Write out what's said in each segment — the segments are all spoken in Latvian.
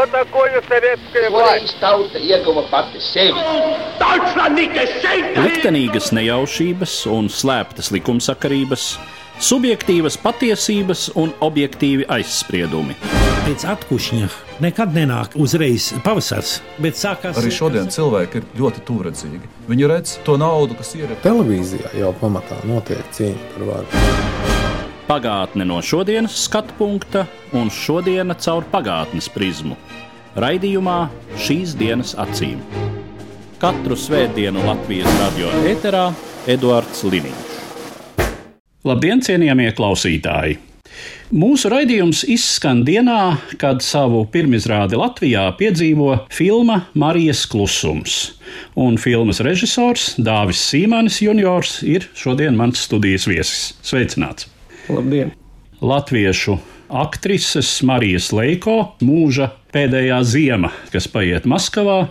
Что такое советская власть? Liktenīgas nejaušības un slēptas likumsakarības, subjektīvas patiesības un objektīvi aizspriedumi. Pēc atkušņa nekad nenāk uzreiz pavasars, bet sākās... Arī šodien cilvēki ir ļoti tuvredzīgi. Viņi redz to naudu, kas ir. Televīzijā jau pamatā notiek cīņa par varu. Pagātne no šodienas skatu punkta un šodiena caur pagātnes prizmu. Raidījumā Šīs dienas acīm. Katru svētdienu Latvijas radio ēterā Eduards Liniņš. Labdien, cienījamie klausītāji! Mūsu raidījums izskan dienā, kad savu pirmizrādi Latvijā piedzīvo filma Marijas klusums. Un filmas režisors Dāvis Sīmanis juniors ir šodien mans studijas viesis. Sveicināts! Labdien! Latviešu aktrises Marijas Leiko mūža pēdējā ziema, kas paiet Maskavā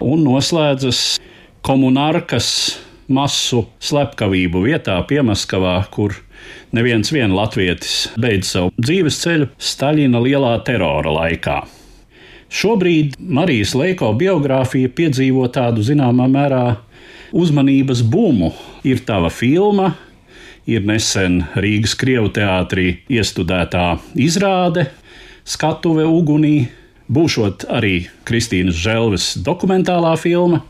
un noslēdzas komunarkas masu slepkavību vietā pie Maskavā, kur neviens vien latvietis beidz savu dzīves ceļu Staļina lielā terora laikā. Šobrīd Marijas Leiko biogrāfija piedzīvo tādu zināmā mērā uzmanības bumu. Ir tava filma, ir nesen Rīgas Krievu teātrī iestudētā izrāde Skatuve ugunī, būšot arī Kristīnas Želves dokumentālā filma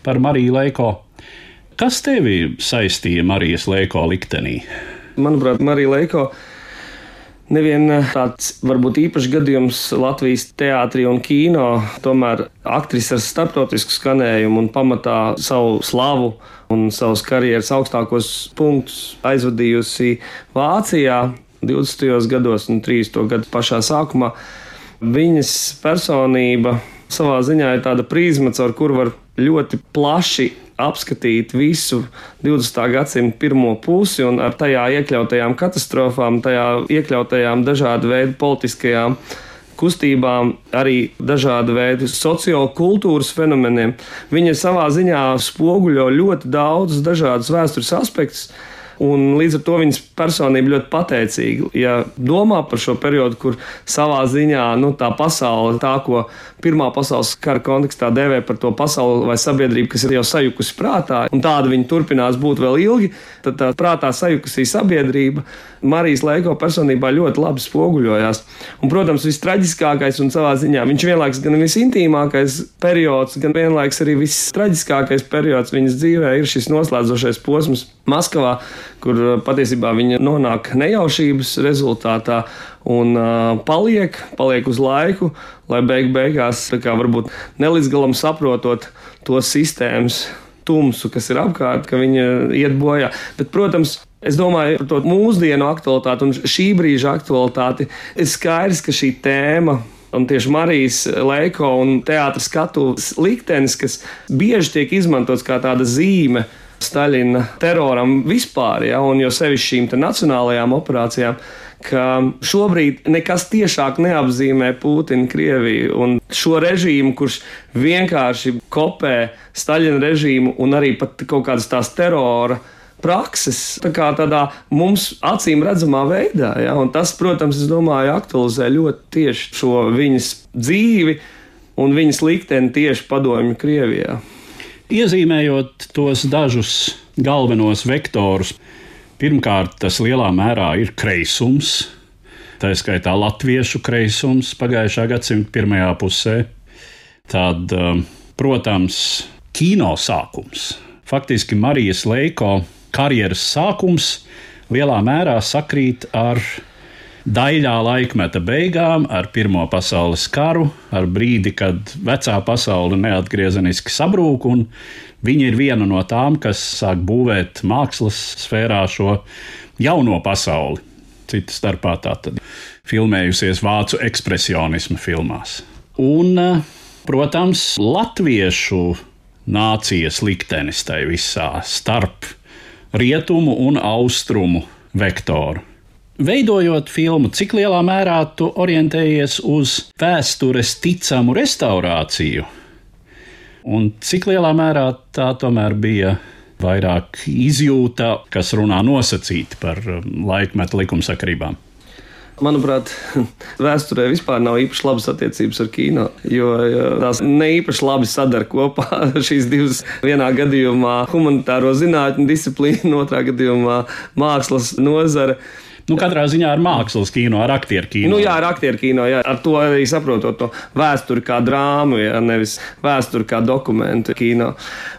par Mariju Leiko. Kas tevi saistīja Marijas Leiko liktenī? Manuprāt, Marija Leiko nevien tāds varbūt īpašs gadījums Latvijas teātrī un kino, tomēr aktrise ar starptautisku skanējumu un pamatā savu slavu un savus karjeras augstākos punktus aizvadījusi Vācijā 20. gados un 30. gadu pašā sākumā. Viņas personība savā ziņā ir tāda prizma, caur kuru var ļoti plaši apskatīt visu 20. gadsimta pirmo pusi un ar tajā iekļautajām katastrofām, tajā iekļautajām dažādu veidu politiskajām kustībām, arī dažādu veidu sociokultūras fenomeniem. Viņa savā ziņā spoguļo ļoti daudz dažādus vēstures aspektus, un līdz ar to viņas personība ļoti pateicīga. Ja domā par šo periodu, kur savā ziņā tā pasaule, tā ko Pirmā pasaules kara kontekstā dēvē par to pasauli vai sabiedrību, kas ir jau sajukusi prātā, un tāda viņa turpinās būt vēl ilgi, tad tā prātā sajukusī sabiedrība Marijas Leiko personībā ļoti labi spoguļojās. Un, protams, vistraģiskākais un savā ziņā viņš vienlaiks gan visintīmākais periods, gan vienlaiks arī vistraģiskākais periods viņas dzīvē ir šis noslēdzošais posms Maskavā, kur patiesībā viņa nonāk nejaušības rezultātā un paliek uz laiku, lai beigās varbūt nelīdz galam saprotot to sistēmas tumsu, kas ir apkārt, ka viņa iet bojā. Bet, protams, es domāju par to mūsdienu aktualitāti un šī brīža aktualitāti. Ir skaidrs, ka šī tēma un tieši Marijas Leiko un teātra skatuves liktenis, kas bieži tiek izmantots kā tāda zīme Staļina teroram vispār, un jo sevišķi šīm nacionālajām operācijām, ka šobrīd nekas tiešāk neapzīmē Putinu Krieviju un šo režīmu, kurš vienkārši kopē Staļina režīmu un arī pat kaut kādas tās terora prakses, tādā mums acīm redzamā veidā. Un tas, protams, es domāju, aktualizē ļoti tieši šo viņas dzīvi un viņas likteni tieši padomju Krievijā. Iezīmējot tos dažus galvenos vektorus, pirmkārt, tas lielā mērā ir kreisums, tā skaitā latviešu kreisums pagājušā gadsimta pirmajā pusē. Tad, protams, kino sākums. Faktiski Marijas Leiko karjeras sākums lielā mērā sakrīt ar daļā laikmeta beigām, ar Pirmo pasaules karu, ar brīdi, kad vecā pasaule neatgriezeniski sabrūk, un viņa ir viena no tām, kas sāk būvēt mākslas sfērā šo jauno pasauli. Cita starpā tātad filmējusies vācu ekspresionisma filmās. Un, protams, latviešu nācijas liktenis tai visā starp rietumu un austrumu vektoru. Veidojot filmu, cik lielā mērā tu orientējies uz vēstures ticamu restaurāciju, un cik lielā mērā tā tomēr bija vairāk izjūta, kas runā nosacīti par laikmeta likumsakarībām? Manuprāt, vēsturē vispār nav īpaši labas attiecības ar kino, jo tās ne īpaši labi sadara kopā šīs divas. Vienā gadījumā humanitāro zinātņu disciplīna, otrā gadījumā mākslas nozare. Katrā ziņā ar mākslas kino, ar aktieru kino. Ar aktieru kino, jā. Ar to arī saprotot to vēsturi kā drāmu, jā, nevis vēsturi kā dokumentu kino.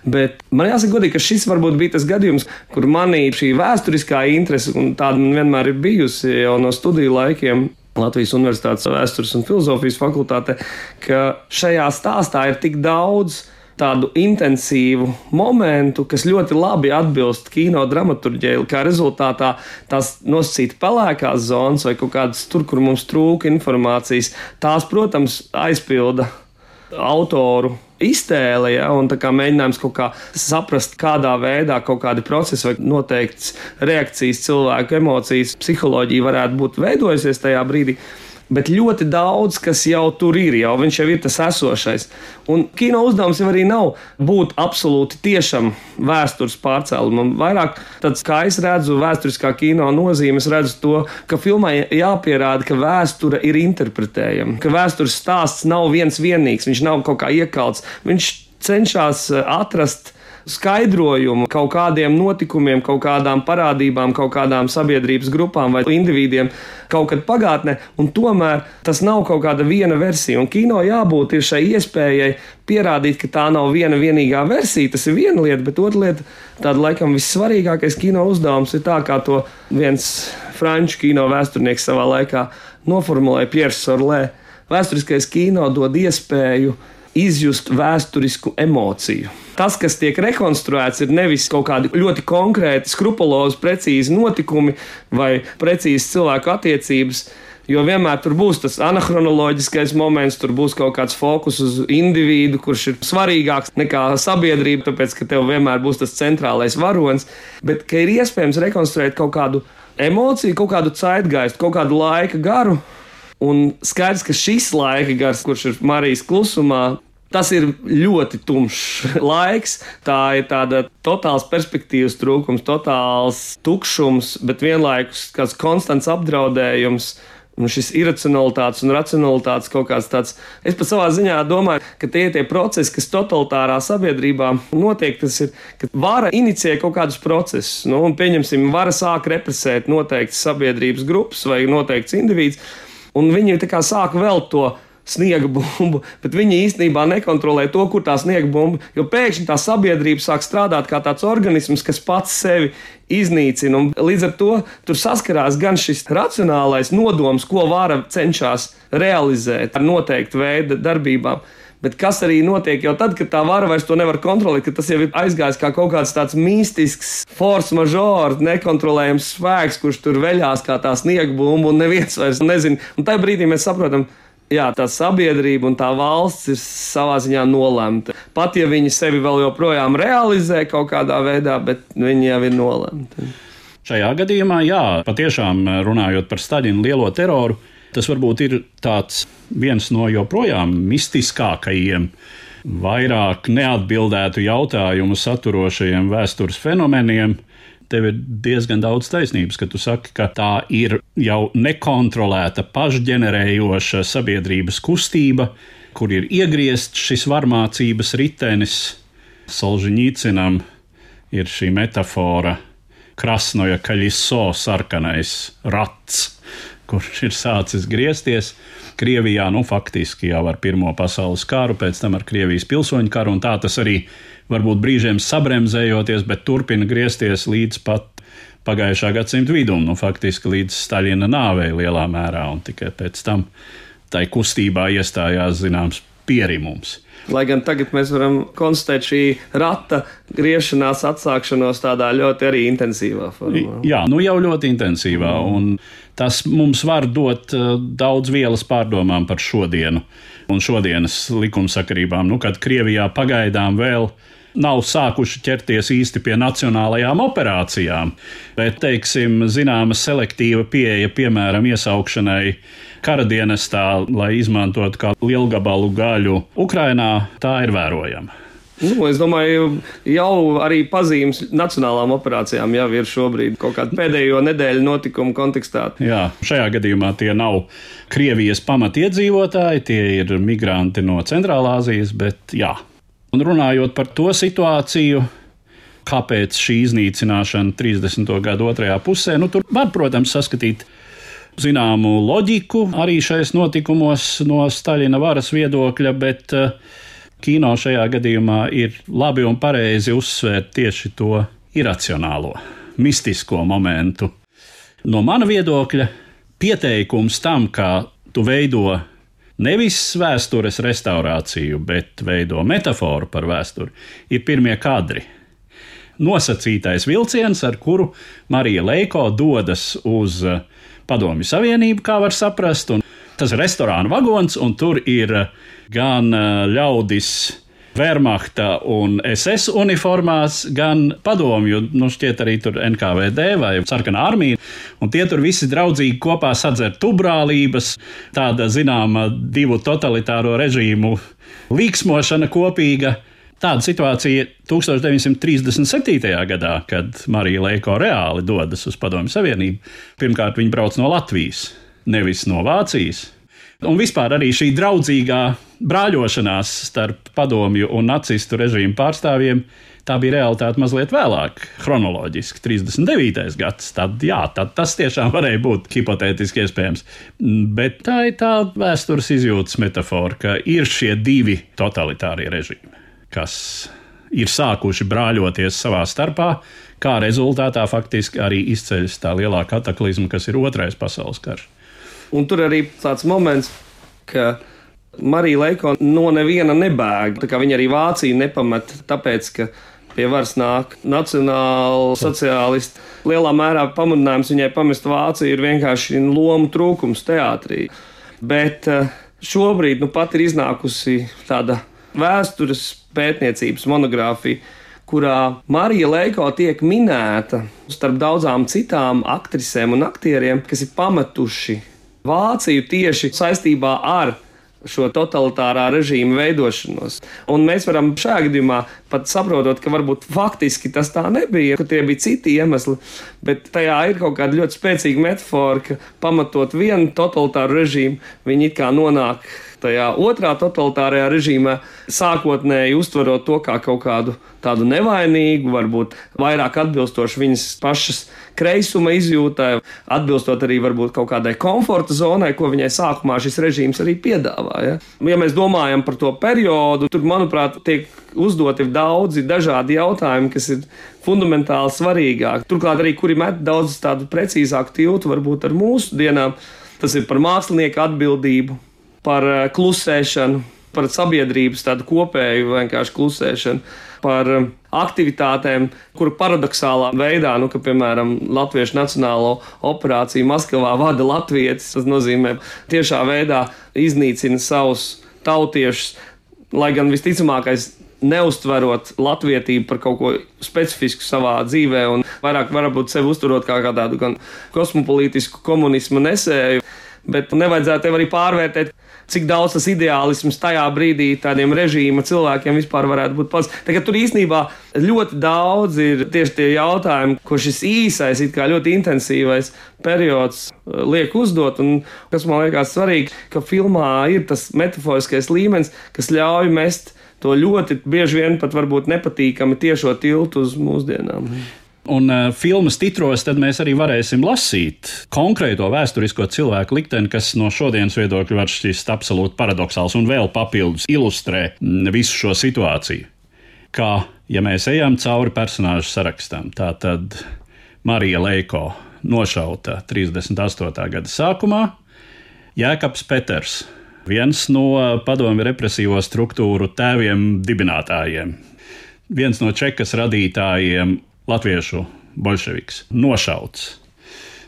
Bet man jāsaka godīgi, ka šis varbūt bija tas gadījums, kur manī šī vēsturiskā interese, un tāda man vienmēr ir bijusi jau no studiju laikiem, Latvijas Universitātes vēstures un filozofijas fakultāte, ka šajā stāstā ir tik daudz tādu intensīvu momentu, kas ļoti labi atbilst kino dramaturģijai, kā rezultātā tās nosacīta pelēkās zonas vai kaut kādas tur, kur mums trūka informācijas, tās, protams, aizpilda autoru iztēle, ja, un tā kā mēģinājums kaut kā saprast, kādā veidā kaut kādi procesi vai noteikts reakcijas, cilvēku emocijas, psiholoģija varētu būt veidojusies tajā brīdī. Bet ļoti daudz, kas jau tur ir, jau viņš jau ir tas esošais. Un kino uzdevums jau arī nav būt absolūti tiešam vēstures pārcēlumam. Vairāk tāds, kā es redzu vēsturiskā kino nozīme, es redzu to, ka filmai jāpierāda, ka vēsture ir interpretējama, ka vēstures stāsts nav viens vienīgs, viņš nav kaut kā iekalts, viņš cenšas atrast skaidrojumu kaut kādiem notikumiem, kaut kādām parādībām, kaut kādām sabiedrības grupām vai individiem kaut kad pagātnē, un tomēr tas nav kaut kāda viena versija. Un kino jābūt ir šai iespējai pierādīt, ka tā nav viena vienīgā versija, tas ir viena lieta, bet otra lieta, tāda laikam vissvarīgākais kino uzdevums ir tā, kā to viens franču kino vēsturnieks savā laikā noformulēja, Pierre Sorlē. Vēsturiskais kino dod iespēju izjust vēsturisku emociju. Tas, kas tiek rekonstruēts, ir nevis kaut kādi ļoti konkrēti, skrupulozi, precīzi notikumi vai precīzi cilvēku attiecības, jo vienmēr tur būs tas anahronoloģiskais moments, tur būs kaut kāds fokus uz individu, kurš ir svarīgāks nekā sabiedrība, tāpēc, ka tev vienmēr būs tas centrālais varonis, bet ka ir iespējams rekonstruēt kaut kādu emociju, kaut kādu zeitgeistu, kaut kādu laika garu. Un skaidrs, ka šis laika gars, kurš ir Marijas klusumā, tas ir ļoti tumšs laiks. Tā ir tāda totāls perspektīvas trūkums, totāls tukšums, bet vienlaikus kāds konstants apdraudējums. Un šis iracionalitātes un racionalitātes kaut kāds tāds. Es pat savā ziņā domāju, ka tie procesi, kas totalitārā sabiedrībā notiek, tas ir, ka vara inicijē kaut kādus procesus. Un pieņemsim, vara sāk represēt noteiktas sabiedrības grupas vai noteikts individs. Un viņi tā kā sāk velt to sniega bumbu, bet viņi īstenībā nekontrolē to, kur tā sniega bumba, jo pēkšņi tā sabiedrība sāk strādāt kā tāds organisms, kas pats sevi iznīcina. Un līdz ar to tur saskarās gan šis racionālais nodoms, ko vara cenšas realizēt ar noteiktu veidu darbībām, bet kas arī notiek jau tad, kad tā vara vairs to nevar kontrolēt, ka tas jau ir aizgājis kā kaut kāds tāds mistisks force majeure, nekontrolējams spēks, kurš tur veļās kā tā sniega bumba un neviens vairs nezina. Un tajā brīdī mēs saprotam, jā, tā sabiedrība un tā valsts ir savā ziņā nolemta. Pat ja viņi sevi vēl joprojām realizē kaut kādā veidā, bet viņi jau ir nolemti. Šajā gadījumā, jā, patiešām runājot par Staļina lielo teroru, tas varbūt ir tāds viens no joprojām mistiskākajiem, vairāk neatbildētu jautājumu saturošajiem vēstures fenomeniem. Tev ir diezgan daudz taisnības, ka tu saki, ka tā ir jau nekontrolēta, pašģenerējoša sabiedrības kustība, kur ir iegriezts šis varmācības ritenis. Solženīcinam ir šī metafora Krasnoja Kaļiso, sarkanais rats, kurš ir sācis griezties Krievijā, faktiski jau ar Pirmo pasaules karu, pēc tam ar Krievijas pilsoņu karu, un tā tas arī varbūt brīžiem sabremzējoties, bet turpina griezties līdz pat pagājušā gadsimta vidum, faktiski līdz Staļina nāvei lielā mērā, un tikai pēc tam tai kustībā iestājās zināms pierimums. Lai gan tagad mēs varam konstatēt šī rata griešanās atsākšanos tādā ļoti arī intensīvā formā. Jā, jau ļoti intensīvā, un tas mums var dot daudz vielas pārdomām par šodienu un šodienas likumsakarībām, kad Krievijā pagaidām vēl nav sākuši ķerties īsti pie nacionālajām operācijām, bet, teiksim, zināma selektīva pieeja, piemēram, iesaukšanai karadienestā, lai izmantotu kā lielgabalu gaļu Ukrainā, tā ir vērojama. Es domāju, jau arī pazīmes nacionālām operācijām jau ir šobrīd kaut kāda pēdējo nedēļu notikumu kontekstā. Jā, šajā gadījumā tie nav Krievijas pamatiedzīvotāji, tie ir migranti no Centrālāzijas, bet jā. Un runājot par to situāciju, kāpēc šī iznīcināšana 30. gadu otrajā pusē, tur var, protams, saskatīt zināmu loģiku arī šais notikumos no Staļina varas viedokļa, bet kino šajā gadījumā ir labi un pareizi uzsvērt tieši to iracionālo, mistisko momentu. No mana viedokļa pieteikums tam, kā tu veido nevis vēstures restaurāciju, bet veido metaforu par vēsturi, ir pirmie kadri. Nosacītais vilciens, ar kuru Marija Leiko dodas uz Padomju Savienību, kā var saprast, un tas ir restorāna vagons, un tur ir gan ļaudis Wehrmachta un SS uniformās, gan padomju, šķiet arī tur NKVD vai Sarkanā armija, un tie tur visi draudzīgi kopā sadzer tubrālības, tāda zināma divu totalitāro režīmu līksmošana kopīga. Tāda situācija 1937. gadā, kad Marija Leiko reāli dodas uz Padomju Savienību. Pirmkārt, viņa brauc no Latvijas, nevis no Vācijas. Un vispār arī šī draudzīgā brāļošanās starp padomju un nacistu režīmu pārstāvjiem, tā bija realitāte mazliet vēlāk, chronoloģiski, 39. gads. Tad tas tiešām varēja būt hipotētiski iespējams. Bet tā ir tā vēstures izjūtas metafora, ka ir šie divi totalitārie režīmi, kas ir sākuši brāļoties savā starpā, kā rezultātā faktiski arī izceļas tā lielā kataklizma, kas ir Otrais pasaules karš. Un tur arī tāds moments, ka Marija Leiko no neviena nebēg. Tā kā viņa arī Vāciju nepamet, tāpēc, ka pie varas nāk nacionāli sociālisti. Lielā mērā pamudinājums viņai pamest Vāciju ir vienkārši lomu trūkums teātrī. Bet šobrīd pat ir iznākusi tāda vēstures pētniecības monogrāfija, kurā Marija Leiko tiek minēta starp daudzām citām aktrisēm un aktieriem, kas ir pametuši Vāciju tieši saistībā ar šo totalitārā režīma veidošanos. Un mēs varam šajā gadījumā pat saprotot, ka varbūt faktiski tas tā nebija, ka tie bija citi iemesli, bet tajā ir kaut kāda ļoti spēcīga metafora, ka pamatot vienu totalitāru režīmu, viņi it kā nonāk tajā otrā totalitārajā režīmā, sākotnēji uztverot to kā kaut kādu tādu nevainīgu, varbūt vairāk atbilstoši viņas pašas kreisuma izjūtai, atbilstot arī varbūt kaut kādai komforta zonai, ko viņai sākumā šis režīms arī piedāvāja. Ja mēs domājam par to periodu, tur, manuprāt, tiek uzdoti daudzi dažādi jautājumi, kas ir fundamentāli svarīgāki. Turklāt arī, kuri met daudz tādu precīzāku tiltu varbūt ar mūsu dienām, tas ir par mākslinieku atbildību, par klusēšanu, par sabiedrības tādu kopēju vienkārši klusēšanu, par aktivitātēm, kuru paradoxālā veidā, ka, piemēram, Latviešu nacionālo operāciju Maskavā vada latvietis, tas nozīmē tiešā veidā iznīcina savus tautiešus, lai gan visticamākais neuztverot latvietību par kaut ko specifisku savā dzīvē un vairāk varbūt sevi uzturot kā tādu gan kosmopolītisku komunismu nesēju, bet nevajadzētu arī pārvērtēt, cik daudz tas ideālisms tajā brīdī tādiem režīma cilvēkiem vispār varētu būt pats. Tagad tur īstenībā ļoti daudz ir tieši tie jautājumi, ko šis īsais, it kā ļoti intensīvais periods liek uzdot, un kas man liekas svarīgi, ka filmā ir tas metaforiskais līmenis, kas ļauj mest to ļoti bieži vien pat varbūt nepatīkami tiešo tiltu uz mūsdienām. Un filmas titros tad mēs arī varēsim lasīt konkrēto vēsturisko cilvēku likteni, kas no šodienas viedokļa var šķist absolūti paradoxāls un vēl papildus ilustrē visu šo situāciju. Kā, ja mēs ejam cauri personāžu sarakstam, tā tad Marija Leiko nošauta 38. gada sākumā, Jēkabs Peters, viens no padomju represīvo struktūru tēviem dibinātājiem, viens no Čekas radītājiem, latviešu bolševiks, nošauts.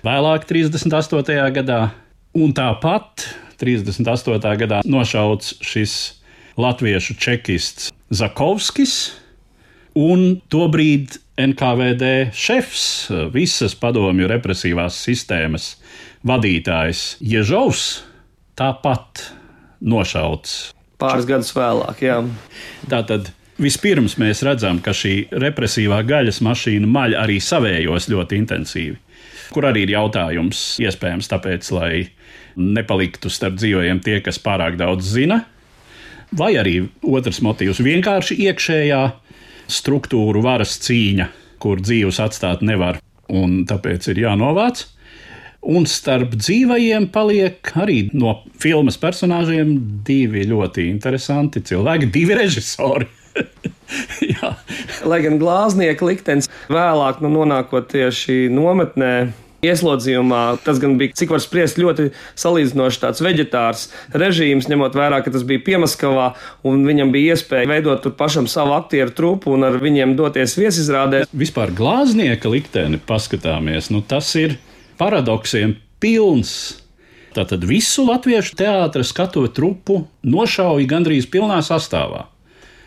Vēlāk 38. gadā, un tāpat 38. gadā nošauts šis latviešu čekists Zakovskis un tobrīd NKVD šefs, visas padomju represīvās sistēmas vadītājs Ježovs, tāpat nošauts. Pāris gadus vēlāk, jā. Tātad Vispirms mēs redzam, ka šī represīvā gaļas mašīna maļ arī savējos ļoti intensīvi, kur arī ir jautājums iespējams tāpēc, lai nepaliktu starp dzīvajiem tie, kas pārāk daudz zina, vai arī otrs motīvs vienkārši iekšējā struktūru varas cīņa, kur dzīvus atstāt nevar un tāpēc ir jānovāc. Un starp dzīvajiem paliek arī no filmas personāžiem divi ļoti interesanti cilvēki, divi režisori. Jā. Lai gan glāznieka liktenis vēlāk nonākot tieši nometnē, ieslodzījumā, tas gan bija, cik var spriest, ļoti salīdzinoši tāds veģetārs režīms, ņemot vērā, ka tas bija Piemaskavā, un viņam bija iespēja veidot tur pašam savu aktieru trupu un ar viņiem doties viesizrādē. Vispār glāznieka likteni paskatāmies, tas ir paradoksiem pilns. Tātad visu latviešu teātra skatuves trupu nošauja gandrīz pilnā sastāvā.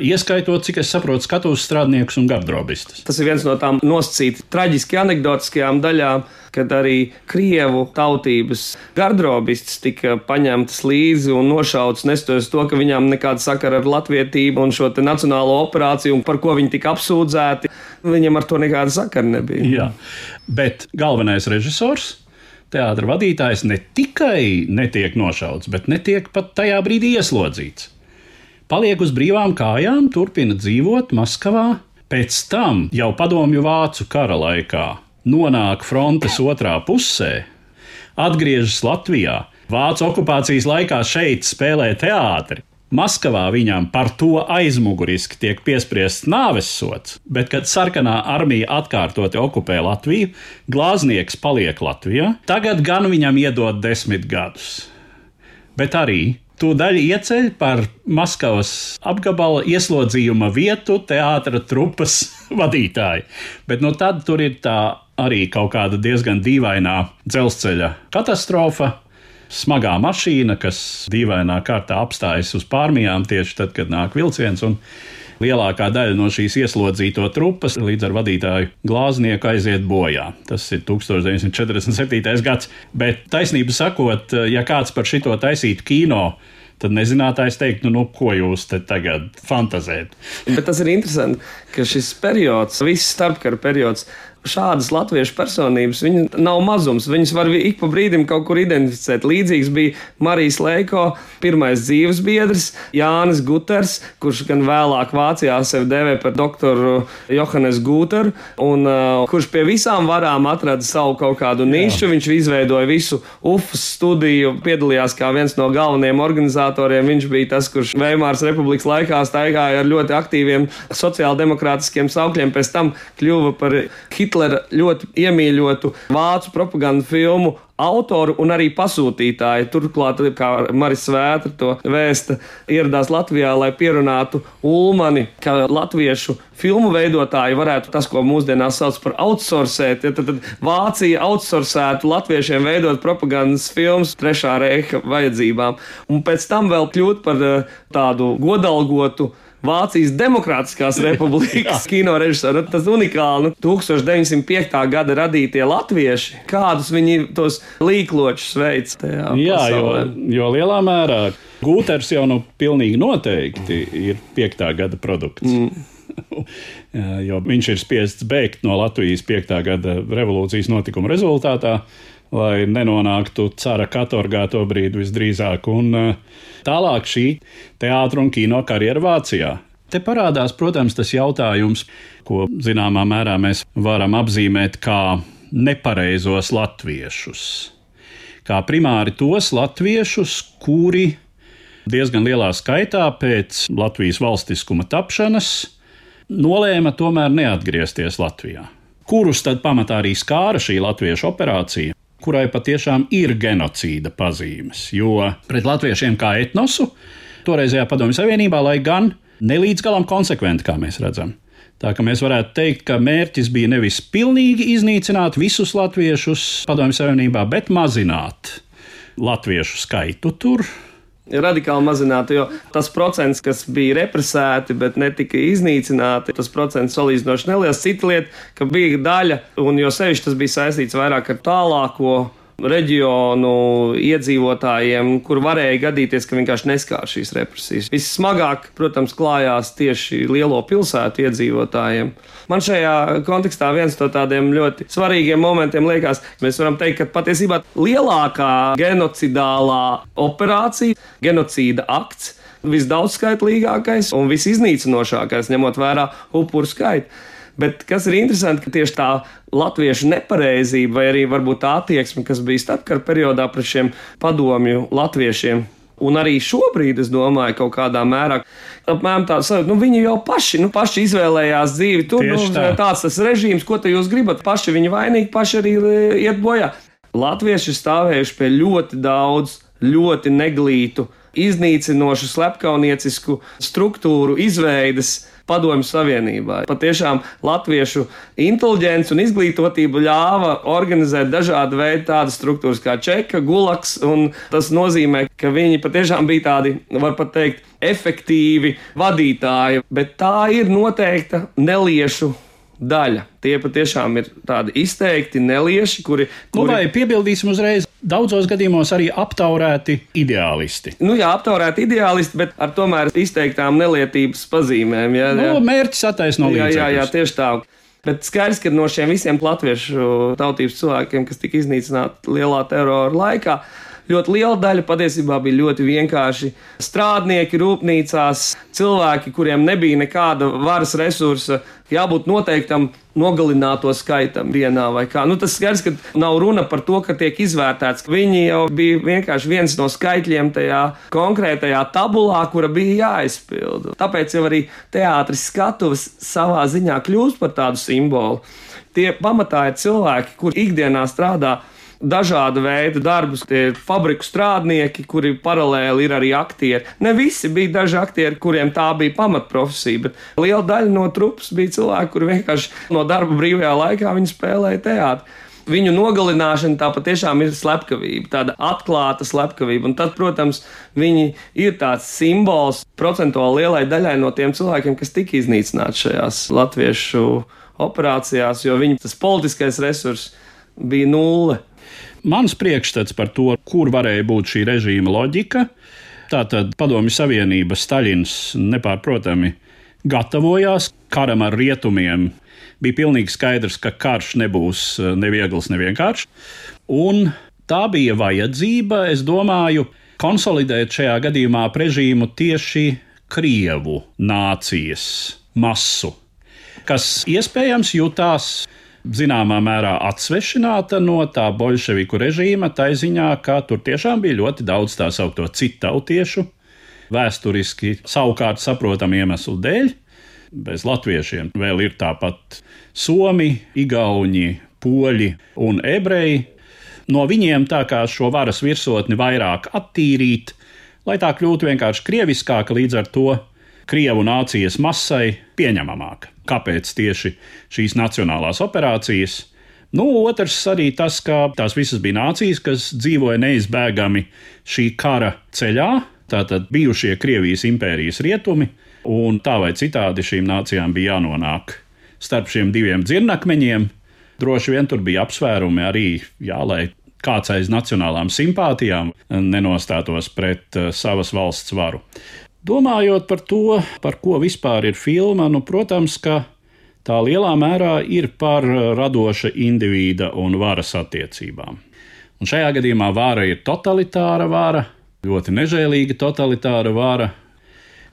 Ieskaitot, cik es saprotu, skatuves strādniekus un gardrobistus. Tas ir viens no tām nosacīti traģiski anekdotiskajām daļām, kad arī krievu tautības gardrobistis tika paņemtas līdzi un nošauts, nestoties to, ka viņām nekāda sakara ar latvietību un šo te nacionālo operāciju, un par ko viņi tika apsūdzēti. Viņam ar to nekāda sakara nebija. Jā, bet galvenais režisors, teātra vadītājs ne tikai netiek nošauts, bet netiek pat tajā brīdī ieslodzīts. Paliek uz brīvām kājām, turpina dzīvot Maskavā, pēc tam jau padomju vācu kara laikā nonāk frontes otrā pusē, atgriežas Latvijā, vācu okupācijas laikā šeit spēlē teātri. Maskavā viņam par to aizmuguriski tiek piespriests nāvessods, bet, kad sarkanā armija atkārtoti okupē Latviju, glāznieks paliek Latvijā, tagad gan viņam iedod 10 gadus. Bet arī tūdaļ ieceļ par Maskavas apgabala ieslodzījuma vietu teātra trupas vadītāju. Bet tad tur ir tā arī kaut kāda diezgan dīvainā dzelzceļa katastrofa, smagā mašīna, kas dīvainā kārtā apstājas uz pārmijām tieši tad, kad nāk vilciens, un lielākā daļa no šīs ieslodzīto trupas līdz ar vadītāju glāznieku aiziet bojā. Tas ir 1947. gads, bet taisnība sakot, ja kāds par šito taisītu kino, tad nezinātājs teikt, ko jūs te tagad fantazēt. Bet tas ir interesanti, ka šis periods, viss starpkara periods, šādas latviešu personības, viņi nav mazums, viņas var ik pa brīdim kaut kur identificēt. Līdzīgs bija Marijas Leiko pirmais dzīves biedrs, Jānis Guters, kurš gan vēlāk Vācijā sevi dēvē par doktoru Johannes Guteru, un kurš pie visām varām atrada savu kaut kādu nišu. Viņš izveidoja visu UFUS studiju, piedalījās kā viens no galvenajiem organizatoriem. Viņš bija tas, kurš Veimāras republikas laikā staigāja ar ļoti aktīviem sociāldemokrātiskiem saukļiem, pēc tam kļuva par Hitlera ļoti iemīļotu vācu propagandu filmu autoru un arī pasūtītāju. Turklāt, kā Maris Svētra to vēsta, ieradās Latvijā, lai pierunātu Ulmani, ka latviešu filmu veidotāji varētu tas, ko mūsdienās sauc par outsourcēt. Tad Vācija outsourcētu latviešiem veidot propagandas filmas Trešā reiha vajadzībām. Un pēc tam vēl kļūt par tādu godalgotu Vācijas Demokrātiskās republikas kino režisoru. Tas unikāli. 1905. gada radītie latvieši, kādus viņi tos līkločus veic tajā pasaulē. Jo lielā mērā Gūters jau pilnīgi noteikti ir 5. gada produkts. Jo viņš ir spiests bēgt no Latvijas 5. gada revolūcijas notikuma rezultātā, lai nenonāktu cara katorgā to brīdi visdrīzāk, un tālāk šī teātra un kino karjera Vācijā. Te parādās, protams, tas jautājums, ko zināmā mērā mēs varam apzīmēt kā nepareizos latviešus. Kā primāri tos latviešus, kuri diezgan lielā skaitā pēc Latvijas valstiskuma tapšanas nolēma tomēr neatgriezties Latvijā. Kurus tad pamatā arī skāra šī latviešu operācija, kurai patiešām ir genocīda pazīmes, jo pret latviešiem kā etnosu toreizējā Padomju Savienībā, lai gan nelīdz galam konsekventi, kā mēs redzam. Tā ka mēs varētu teikt, ka mērķis bija nevis pilnīgi iznīcināt visus latviešus Padomju Savienībā, bet mazināt latviešu skaitu tur. Radikāli mazināti, jo tas procents, kas bija represēti, bet netika iznīcināti, tas procents salīdzinoši neliels. Cita lieta, ka bija daļa, un jo sevišķi tas bija saistīts vairāk ar tālāko reģionu iedzīvotājiem, kur varēja gadīties, ka vienkārši neskār šīs represijas. Vissmagāk, protams, klājās tieši lielo pilsētu iedzīvotājiem. Man šajā kontekstā viens no tādiem ļoti svarīgiem momentiem liekas, mēs varam teikt, ka patiesībā lielākā genocidālā operācija, genocīda akts, visdaudzskaitlīgākais un visiznīcinošākais, ņemot vērā upuru skaitu. Bet kas ir interesanti, ka tieši tā latviešu nepareizība vai arī varbūt tā attieksme, kas bija starpkara periodā pret šiem padomju latviešiem, un arī šobrīd, es domāju, kaut kādā mērā, apmēram tā sajūta, viņi jau paši izvēlējās dzīvi tur, tāds tas režīms, ko te jūs gribat, paši viņi vainīgi, paši arī iet bojā. Latvieši stāvējuši pie ļoti daudz, ļoti neglītu, iznīcinošu, slepkauniecisku struktūru izveides Padomju Savienībā. Patiešām latviešu inteliģence un izglītotība ļāva organizēt dažādu veidu tādas struktūras kā Čeka, Gulaks, un tas nozīmē, ka viņi patiešām bija tādi, var pat teikt, efektīvi vadītāji, bet tā ir noteikta neliešu daļa. Tie patiešām ir tādi izteikti nelieši, kuri... Vai piebildīsim uzreiz, daudzos gadījumos arī aptaurēti ideālisti. Aptaurēti ideālisti, bet ar tomēr izteiktām nelietības pazīmēm. Mērķis attaisno līdzekļus. Jā, tieši tā. Bet skaidrs, ka no šiem visiem latviešu tautības cilvēkiem, kas tika iznīcināti lielā terora laikā, ļoti liela daļa patiesībā bija ļoti vienkārši strādnieki rūpnīcās, cilvēki, kuriem nebija nekāda varas resursa, jābūt noteiktam nogalināto skaitam dienā vai kā. Tas skaidrs, ka nav runa par to, ka tiek izvērtēts. Viņi jau bija vienkārši viens no skaitļiem tajā konkrētajā tabulā, kura bija jāizpilda. Tāpēc jau arī teātris skatuves savā ziņā kļūst par tādu simbolu. Tie pamatā ir cilvēki, kuri ikdienā strādā dažādu veidu darbus, tie ir fabriku strādnieki, kuri paralēli ir arī aktieri. Ne visi bija daži aktieri, kuriem tā bija pamatprofesija, bet liela daļa no trupas bija cilvēki, kuri vienkārši no darba brīvajā laikā viņi spēlēja teātri. Viņu nogalināšana tā patiešām ir slepkavība, tāda atklāta slepkavība, un tad, protams, viņi ir tāds simbols procentuāli lielai daļai no tiem cilvēkiem, kas tika iznīcināti šajās latviešu operācijās, jo viņu tas politiskais resurs bija nulle. Mans priekšstats par to, kur varēja būt šī režīma loģika, tātad Padomju Savienība, Staļins nepārprotami gatavojās karam ar rietumiem. Bija pilnīgi skaidrs, ka karš nebūs neviegls, nevienkāršs. Un tā bija vajadzība, es domāju, konsolidēt šajā gadījumā režīmu tieši Krievu nācijas masu, kas iespējams jutās zināmā mērā atsvešināta no tā boļševiku režīma, tā ziņā, ka tur tiešām bija ļoti daudz tā saukto citautiešu, vēsturiski savukārt saprotamu iemeslu dēļ. Bez latviešiem vēl ir tāpat somi, igauņi, poļi un ebreji. No viņiem tā kā šo varas virsotni vairāk attīrīt, lai tā kļūtu vienkārši krieviskāka, līdz ar to Krievu nācijas masai pieņemamāka. Kāpēc tieši šīs nacionālās operācijas? Otrs arī tas, ka tās visas bija nācijas, kas dzīvoja neizbēgami šī kara ceļā, tātad bijušie Krievijas impērijas rietumi, un tā vai citādi šīm nācijām bija jānonāk starp šiem diviem dzirnakmeņiem. Droši vien tur bija apsvērumi arī, lai kāds aiz nacionālām simpātijām nenostātos pret savas valsts varu. Domājot par to, par ko vispār ir filma, protams, ka tā lielā mērā ir par radoša indivīda un varas attiecībām. Un šajā gadījumā vara ir totalitāra vara, ļoti nežēlīga totalitāra vara.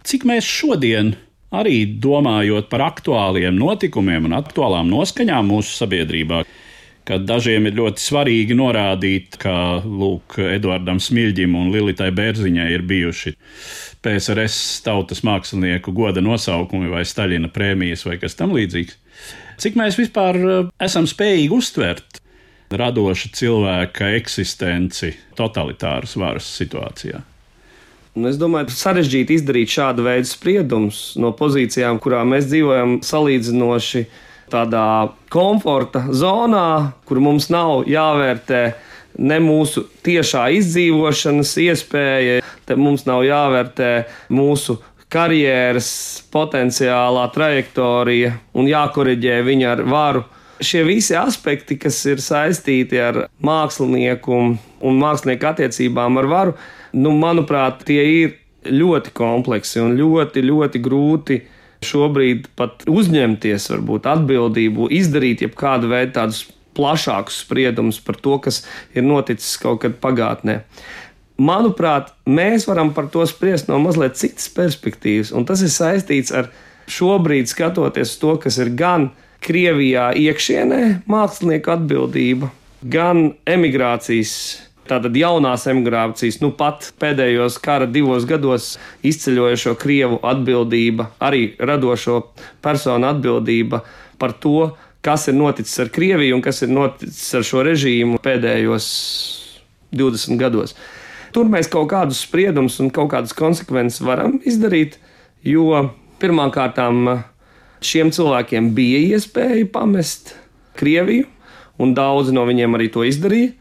Cik mēs šodien, arī domājot par aktuāliem notikumiem un aktuālām noskaņām mūsu sabiedrībā, kad dažiem ir ļoti svarīgi norādīt, ka Eduardam Smiļģim un Lilitai Bērziņai ir bijuši PSRS tautas mākslinieku goda nosaukumi vai Staļina prēmijas vai kas tam līdzīgs. Cik mēs vispār esam spējīgi uztvert radoša cilvēka eksistenci totalitāras varas situācijā? Es domāju, sarežģīti izdarīt šādu veidu spriedumus no pozīcijām, kurā mēs dzīvojam salīdzinoši tādā komforta zonā, kur mums nav jāvērtē ne mūsu tiešā izdzīvošanas iespēja, te mums nav jāvērtē mūsu karjeras potenciālā trajektorija un jākoriģē viņa ar varu. Šie visi aspekti, kas ir saistīti ar mākslinieku un mākslinieku attiecībām ar varu, manuprāt, tie ir ļoti kompleksi un ļoti, ļoti grūti šobrīd pat uzņemties varbūt atbildību, izdarīt jebkādu veidu tādus plašākus spriedumus par to, kas ir noticis kaut kad pagātnē. Manuprāt, mēs varam par to spriest no mazliet citas perspektīvas, un tas ir saistīts ar šobrīd skatoties to, kas ir gan Krievijā iekšienē mākslinieku atbildība, gan emigrācijas, tātad jaunās emigrācijas, pat pēdējos kara 2 gados izceļojošo Krievu atbildība, arī radošo personu atbildība par to, kas ir noticis ar Krieviju un kas ir noticis ar šo režīmu pēdējos 20 gados. Tur mēs kaut kādus spriedumus un kaut kādas konsekvences varam izdarīt, jo pirmkārtām šiem cilvēkiem bija iespēja pamest Krieviju, un daudzi no viņiem arī to izdarīja,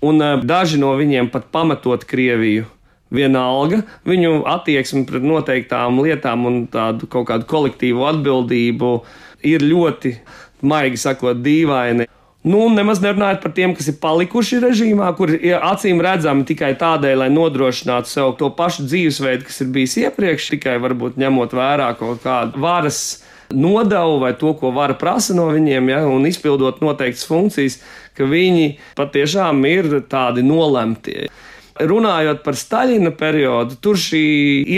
un daži no viņiem pat pametot Krieviju, vienalga viņu attieksmi pret noteiktām lietām un tādu kaut kādu kolektīvu atbildību ir ļoti, maigi sakot, dīvaini. Nemaz nerunājot par tiem, kas ir palikuši režīmā, kur ir acīm redzami tikai tādēļ, lai nodrošinātu sev to pašu dzīvesveidu, kas ir bijis iepriekš, tikai varbūt ņemot vērā kaut kādu varas nodevu vai to, ko vara prasa no viņiem, un izpildot noteiktas funkcijas, ka viņi patiešām ir tādi nolemtie. Runājot par Staļina periodu, tur šī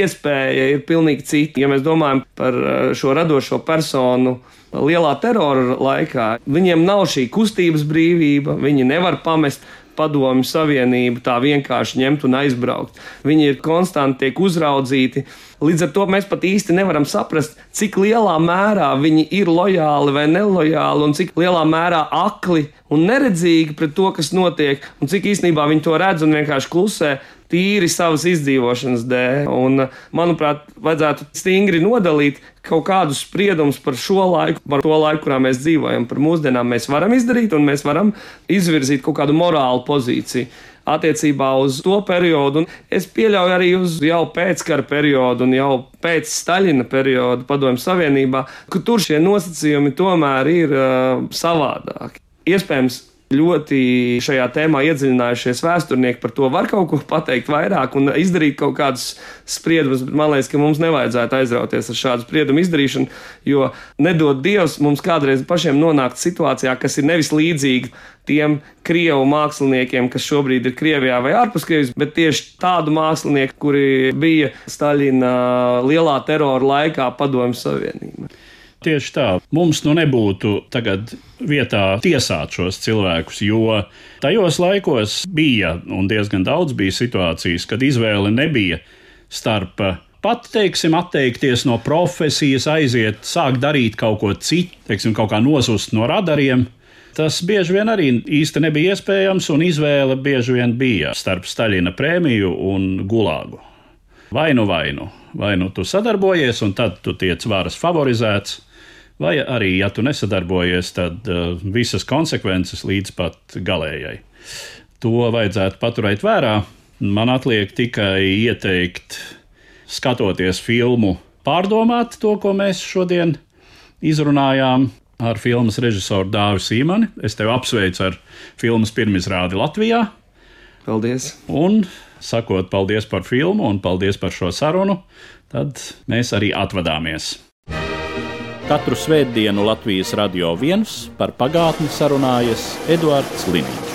iespēja ir pilnīgi cita. Ja mēs domājam par šo radošo personu lielā terora laikā, viņiem nav šī kustības brīvība, viņi nevar pamest Padomju Savienību tā vienkārši ņemt un aizbraukt. Viņi ir konstanti tiek uzraudzīti. Līdz ar to mēs pat īsti nevaram saprast, cik lielā mērā viņi ir lojāli vai nelojāli un cik lielā mērā akli un neredzīgi pret to, kas notiek, un cik īstenībā viņi to redz un vienkārši klusē tīri savas izdzīvošanas dēļ. Un, manuprāt, vajadzētu stingri nodalīt kaut kādus spriedumus par šo laiku, par to laiku, kurā mēs dzīvojam. Par mūsdienām mēs varam izdarīt un mēs varam izvirzīt kaut kādu morālu pozīciju attiecībā uz to periodu. Un es pieļauju arī uz jau pēckara periodu un jau pēc Staļina periodu Padomju Savienībā, ka tur šie nosacījumi tomēr ir savādāki. Iespējams, ļoti šajā tēmā iedziļinājušies vēsturnieki par to var kaut ko pateikt vairāk un izdarīt kaut kādus spriedumus, bet man liekas, ka mums nevajadzētu aizrauties ar šādu spriedumu izdarīšanu, jo nedod Dievs mums kādreiz pašiem nonākt situācijā, kas ir nevis līdzīga tiem Krievu māksliniekiem, kas šobrīd ir Krievijā vai ārpus Krievijas, bet tieši tādu mākslinieku, kuri bija Staļina lielā terora laikā Padomju Savienībā. Tieši tā. Mums nebūtu tagad vietā tiesāt šos cilvēkus, jo tajos laikos bija, un diezgan daudz bija situācijas, kad izvēle nebija starp pat, atteikties no profesijas, aiziet, sākt darīt kaut ko citu, kaut kā nosust no radariem. Tas bieži vien arī īsti nebija iespējams, un izvēle bieži vien bija starp Staļina prēmiju un gulāgu. Vai nu tu sadarbojies, un tad tu tiec varas favorizēts, vai arī, ja tu nesadarbojies, tad visas konsekvences līdz pat galējai. To vajadzētu paturēt vērā. Man atliek tikai ieteikt, skatoties filmu, pārdomāt to, ko mēs šodien izrunājām ar filmas režisoru Dāvi Sīmani. Es tevi apsveicu ar filmas pirmizrādi Latvijā. Paldies! Un sakot paldies par filmu un paldies par šo sarunu, tad mēs arī atvadāmies. Katru svētdienu Latvijas Radio 1 par pagātni sarunājas Eduards Liniņš.